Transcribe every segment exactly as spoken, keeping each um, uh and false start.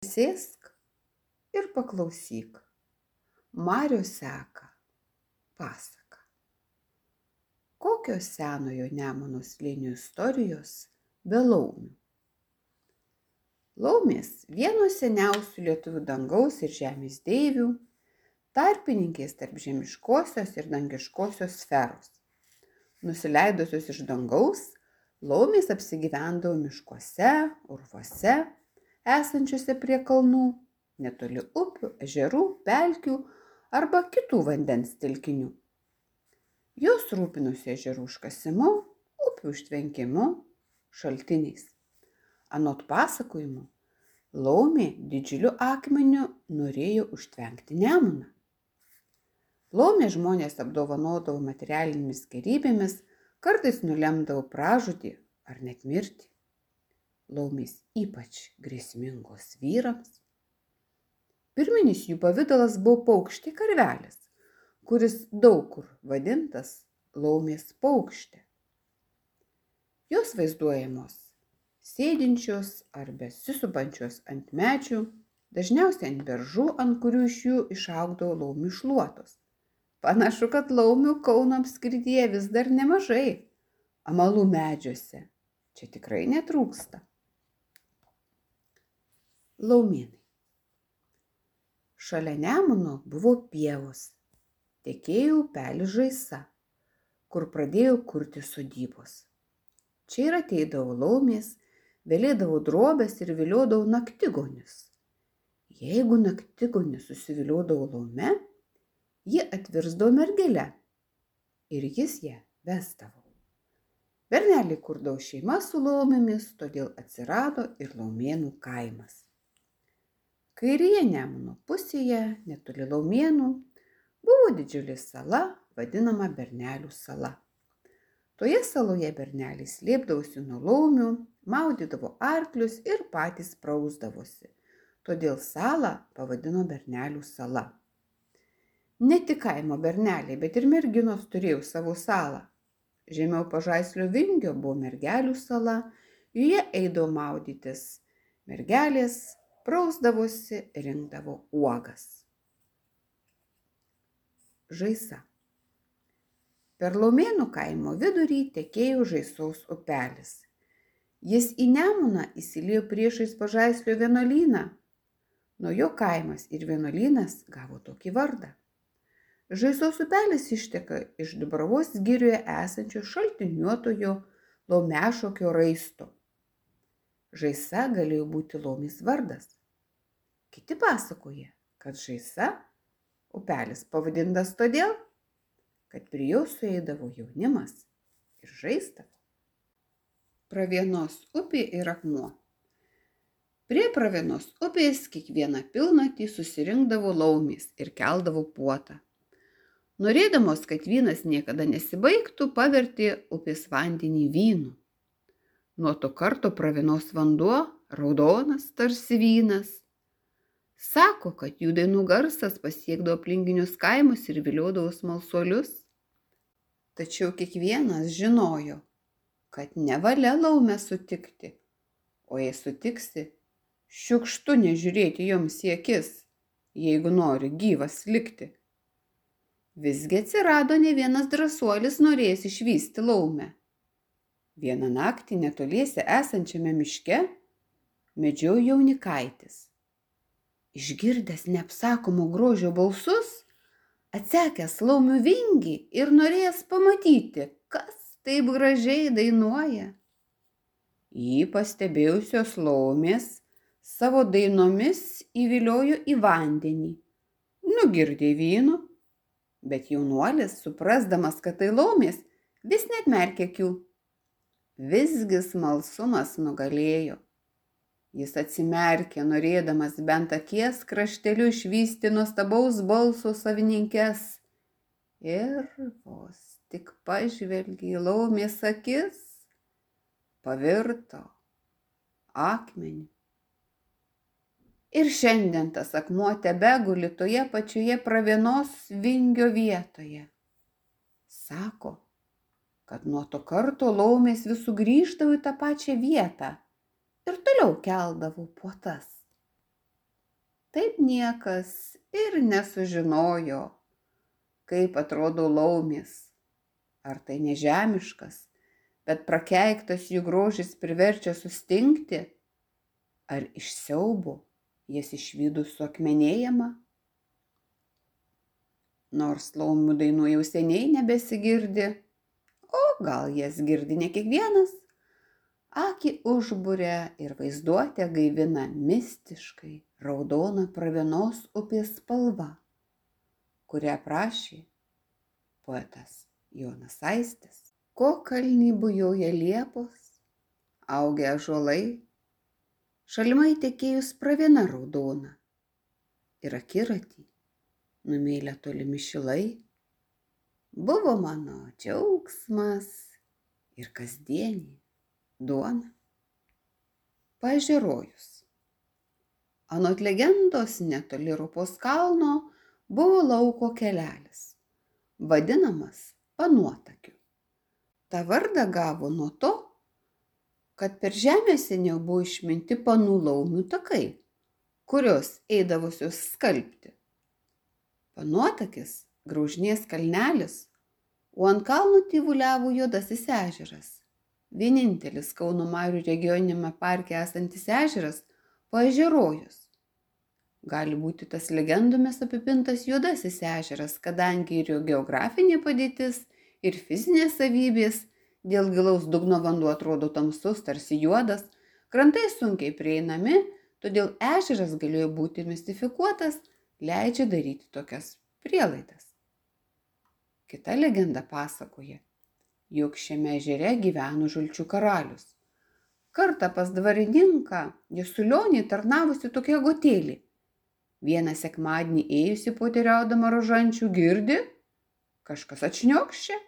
Sėsk ir paklausyk. Marios seka pasaka. Kokios senojo Nemuno slėnio istorijos be laumių? Laumės vienos seniausių lietuvių dangaus ir žemės deivių, tarpininkės tarp žemiškosios ir dangiškosios sferos. Nusileidusios iš dangaus, laumės apsigyvendavo miškuose, urvuose, esančiuose prie kalnų, netoli upių, ežerų, pelkių arba kitų vandens telkinių. Jos rūpinosi ežerų užkasimu, upių užtvenkimu, šaltiniais. Anot pasakojimų, laumė didžiuliu akmeniu norėjo užtvenkti Nemuną. Laumė žmonės apdovanodavo materialinėmis gėrybėmis, kartais nulemdavo pražūtį ar net mirtį. Laumės ypač grėsmingos vyrams. Pirminis jų pavidalas buvo paukštė karvelis, kuris daug kur vadintas laumės paukštė. Jos vaizduojamos sėdinčios ar besisupančios ant medžių, dažniausiai ant beržų, ant kurių iš jų išaugdavo laumių šluotos. Panašu, kad laumių Kauno apskrityje vis dar nemažai. Amalų medžiuose čia tikrai netrūksta. Laumėnai. Šalia Nemuno buvo pievos, tekėjo upelis Žaisa, kur pradėjo kurti sodybos. Čia ir ateidavo laumės, velėdavo drobes ir viliodavo naktigonius. Jeigu naktigonis susiviliodavo laume, ji atvirsdavo mergele ir jis ją vesdavo. Berneliai kurdavo šeimas su laumėmis, todėl atsirado ir Laumėnų kaimas. Kairėje Nemuno pusėje, netoli Laumėnų, buvo didžiulė sala, vadinama Bernelių sala. Toje saloje berneliai slėpdavosi nuo laumių, maudydavo arklius ir patys prausdavosi. Todėl salą pavadino Bernelių sala. Ne tik kaimo berneliai, bet ir merginos turėjo savo salą. Žemiau Pažaislio vingio buvo Mergelių sala, joje eidavo maudytis mergelės, prausdavosi, rinkdavo uogas. Žaisa. Per Laumėnų kaimo vidurį tekėjo Žaisos upelis. Jis į Nemuną įsiliejo priešais Pažaislio vienuolyną. Nuo jo kaimas ir vienuolynas gavo tokį vardą. Žaisos upelis išteka iš Dubravos girioje esančio šaltiniuotojo Laumešokio raisto. Žaisa galėjo būti laumės vardas. Kiti pasakoja, kad Žaisa upelis pavadintas todėl, kad prie jo sueidavo jaunimas ir žaisdavo. Pravienos upė ir akmuo. Prie Pravienos upės kiekvieną pilnatį susirinkdavo laumės ir keldavo puotą. Norėdamos, kad vynas niekada nesibaigtų, pavertė upės vandenį vynu. Nuo to karto Pravienos vanduo raudonas tarsi vynas. Sako, kad jų dainų garsas pasiekdavo aplinkinius kaimus ir viliodavo smalsuolius. Tačiau kiekvienas žinojo, kad nevalia laumę sutikti, o jei sutiksi, šiukštu nežiūrėti joms į akis, jeigu nori gyvas likti. Visgi atsirado ne vienas drąsuolis norėjęs išvysti laumę. Vieną naktį netoliese esančiame miške medžiojo jaunikaitis. Išgirdęs neapsakomo grožio balsus, atsekęs laumių vingį ir norėjęs pamatyti, kas taip gražiai dainuoja. Jį pastebėjusios laumės savo dainomis įviliojo į vandenį, nugirdė vyno, bet jaunuolis, suprasdamas, kad tai laumės, vis neatmerkė akių. Visgi smalsumas nugalėjo. Jis atsimerkė, norėdamas bent akies krašteliu išvysti nuostabaus balso savininkes. Ir vos tik pažvelgė į laumės akis, pavirto akmenį. Ir šiandien tas akmuo tebeguli toje pačioje Pravienos vingio vietoje. Sako, kad nuo to karto laumės vis sugrįždavo į tą pačią vietą ir toliau keldavo puotas. Taip niekas ir nesužinojo, kaip atrodo laumės. Ar tai nežemiškas, bet prakeiktas jų grožis priverčia sustingti, ar iš siaubo jas išvydus suakmenėjama? Nors laumių dainų jau seniai nebesigirdi, o gal jas girdi ne kiekvienas, akį užburia ir vaizduotę gaivina mistiškai raudona pravienos upės spalva, kurią aprašė poetas Jonas Aistis. Ko kalnį bujoja liepos, augia ąžuolai, šalimai tekėjus praviena raudona ir akiratį numėlę tolimi šilai. Buvo mano džiaugsmas ir kasdienė duona. Paežerojus. Anot legendos netoli Rupos kalno buvo lauko kelelis, vadinamas Panuotakiu. Ta vardą gavo nuo to, kad per žemę seniau buvo išminti panų laumių takai, kurios eidavusios skalbti. Panuotakis graužinės kalnelis, o ant kalno tyvuliavo Juodasis ežeras, vienintelis Kauno Marių regioniniame parke esantis ežeras Paežerojus. Gali būti tas legendomis apipintas Juodasis ežeras, kadangi ir jo geografinė padėtis ir fizinės savybės, dėl gilaus dugno vanduo atrodo tamsus, tarsi juodas, krantai sunkiai prieinami, todėl ežeras galėjo būti mistifikuotas, leidžia daryti tokias prielaidas. Kita legenda pasakoja, jog šiame ežere gyveno žalčių karalius. Kartą pas dvarininką Jasulionį tarnavusi tokia gotėlė. Vieną sekmadienį ėjusi poteriaudama rožančių girdi, kažkas atšniokščia.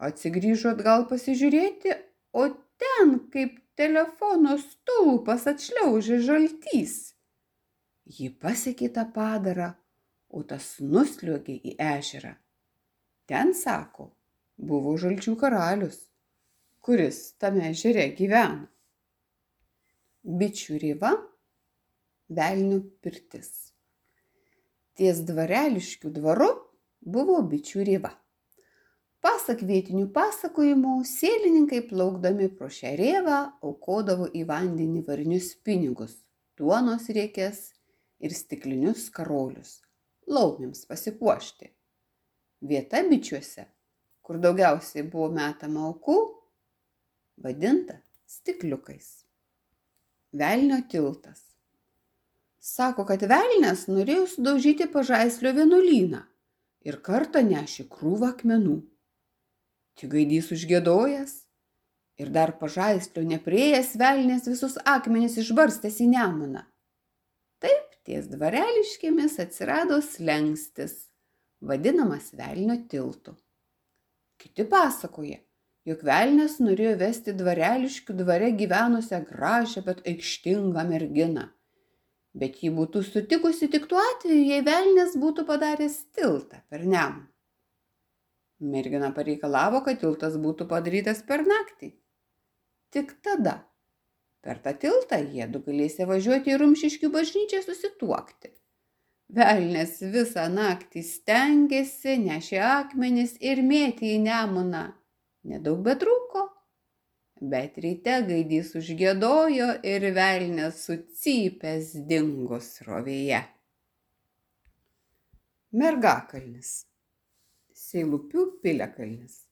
Atsigrįžo atgal pasižiūrėti, o ten kaip telefono stulpas atšliaužė žaltys. Ji pasiekė tą padarą, o tas nusliuogė į ežerą. Ten, sako, buvo žalčių karalius, kuris tame ežere gyveno. Bičių rėva, velnio pirtis. Ties Dvareliškių dvaru buvo bičių rėva. Pasak vietinių pasakojimų, sėlininkai plaukdami pro šią rėvą aukodavo į vandenį varinius pinigus, duonos riekes ir stiklinius karolius, laumėms pasipuošti. Vieta bičiuose, kur daugiausiai buvo metama aukų, vadinta stikliukais. Velnio tiltas. Sako, kad velnias norėjo sudaužyti Pažaislio vienuolyną ir kartą nešė krūvą akmenų. Tik gaidys užgiedojęs ir dar Pažaislio nepriėjęs velnias visus akmenis išbarstęs į Nemuną. Taip ties Dvareliškėmis atsirado slenkstis, vadinamas Velnio tiltu. Kiti pasakoja, jog velnias norėjo vesti Dvareliškių dvare gyvenusią gražią, bet aikštingą merginą. Bet ji būtų sutikusi tik tuo atveju, jei velnias būtų padaręs tiltą per Nemuną. Mergina pareikalavo, kad tiltas būtų padarytas per naktį. Tik tada per tą tiltą jiedu galėsė važiuoti į Rumšiškių bažnyčią susituokti. Velnias visą naktį stengėsi, nešė akmenis ir mėtė į Nemuną. Nedaug betrūko, bet ryte gaidys užgiedojo ir velnias sucypęs dingo srovėje. Mergakalnis. Seilupių piliakalnis.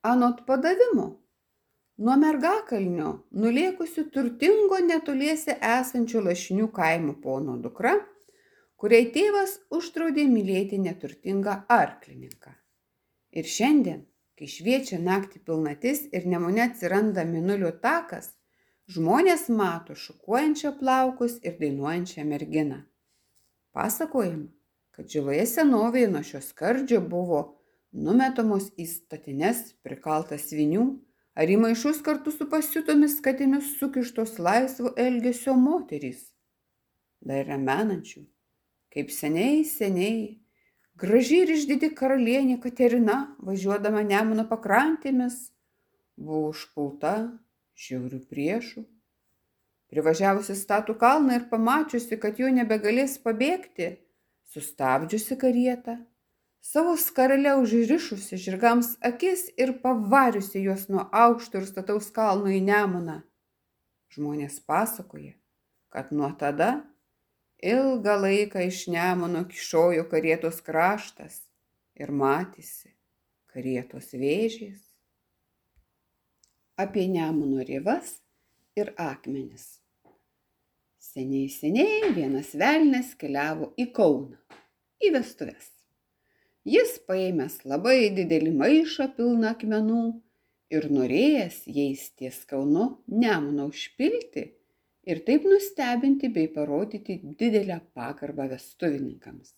Anot padavimo, nuo Mergakalnio nulėkusių turtingo netoliese esančių Lašinių kaimo pono dukra, kuriai tėvas uždraudė mylėti neturtingą arklininką. Ir šiandien, kai šviečia naktį pilnatis ir Nemune atsiranda Mėnulio takas, žmonės mato šukuojančią plaukus ir dainuojančią merginą. Pasakojama, kad žiloje senovėje nuo šio skardžio buvo numetamos į statines prikaltas svinių ar į maišus kartu su pasiutomis katėmis sukištos laisvo elgesio moterys. Dar yra menančių, kaip seniai, seniai, graži ir išdidi karalienė Katerina, važiuodama Nemuno pakrantėmis, buvo užpulta žiaurių priešų. Privažiavusi statų kalną ir pamačiusi, kad jau nebegalės pabėgti, sustabdžiusi karietą, savo skarele užrišusi žirgams akis ir pavariusi juos nuo aukšto ir stataus kalno į Nemuną. Žmonės pasakoja, kad nuo tada ilgą laiką iš Nemuno kyšojo karietos kraštas ir matėsi karietos vėžės. Apie Nemuno rėvas ir akmenis. Seniai, seniai vienas velnias keliavo į Kauną, į vestuves. Jis paėmęs labai didelį maišą pilną akmenų ir norėjęs jais ties Kaunu Nemuną užpilti ir taip nustebinti bei parodyti didelę pagarbą vestuvininkams.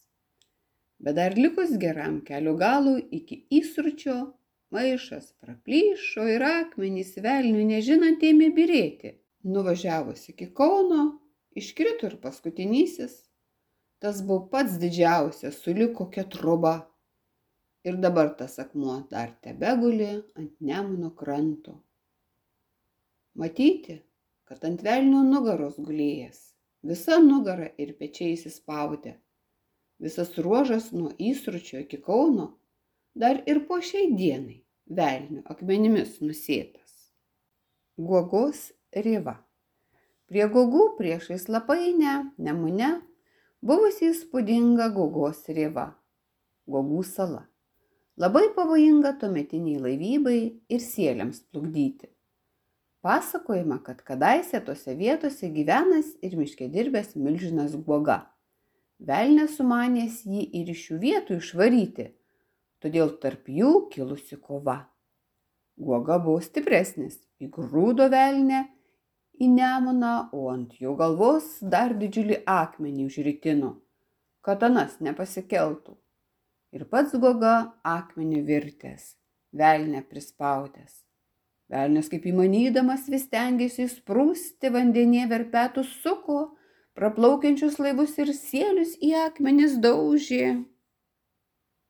Bet dar likus geram kelio galui iki įsručio, maišas praplyšo ir akmenys velniui nežinant ėmė byrėti. Nuvažiavus iki Kauno, iškrito ir paskutinysis. Tas buvo pats didžiausias, sulig kokia troba. Ir dabar tas akmuo dar tebeguli ant Nemuno kranto. Matyti, kad ant velnio nugaros gulėjęs, visa nugara ir pečiai įsispaudę. Visas ruožas nuo įsručio iki Kauno dar ir po šiai dienai velnio akmenimis nusėtas. Guogos rėva. Prie Guogų priešais Lapainę, Nemune, buvusi įspūdinga Guogos rėva, Guogų sala. Labai pavojinga tuometiniai laivybai ir sieliams plukdyti. Pasakojama, kad kadaise tose vietose gyvenas ir miške dirbęs milžinas Guoga. Velnias sumanęs jį ir iš šių vietų išvaryti, todėl tarp jų kilusi kova. Guoga buvo stipresnis, įgrūdo velnę į Nemuną, o ant jo galvos dar didžiulį akmenį užritino, kad anas nepasikeltų. Ir pats Guoga akmenį virtęs, velnę prispaudęs. Velnias kaip įmanydamas vis stengėsi įsprūsti vandenyje verpetų suko, praplaukiančius laivus ir sielius į akmenis daužė.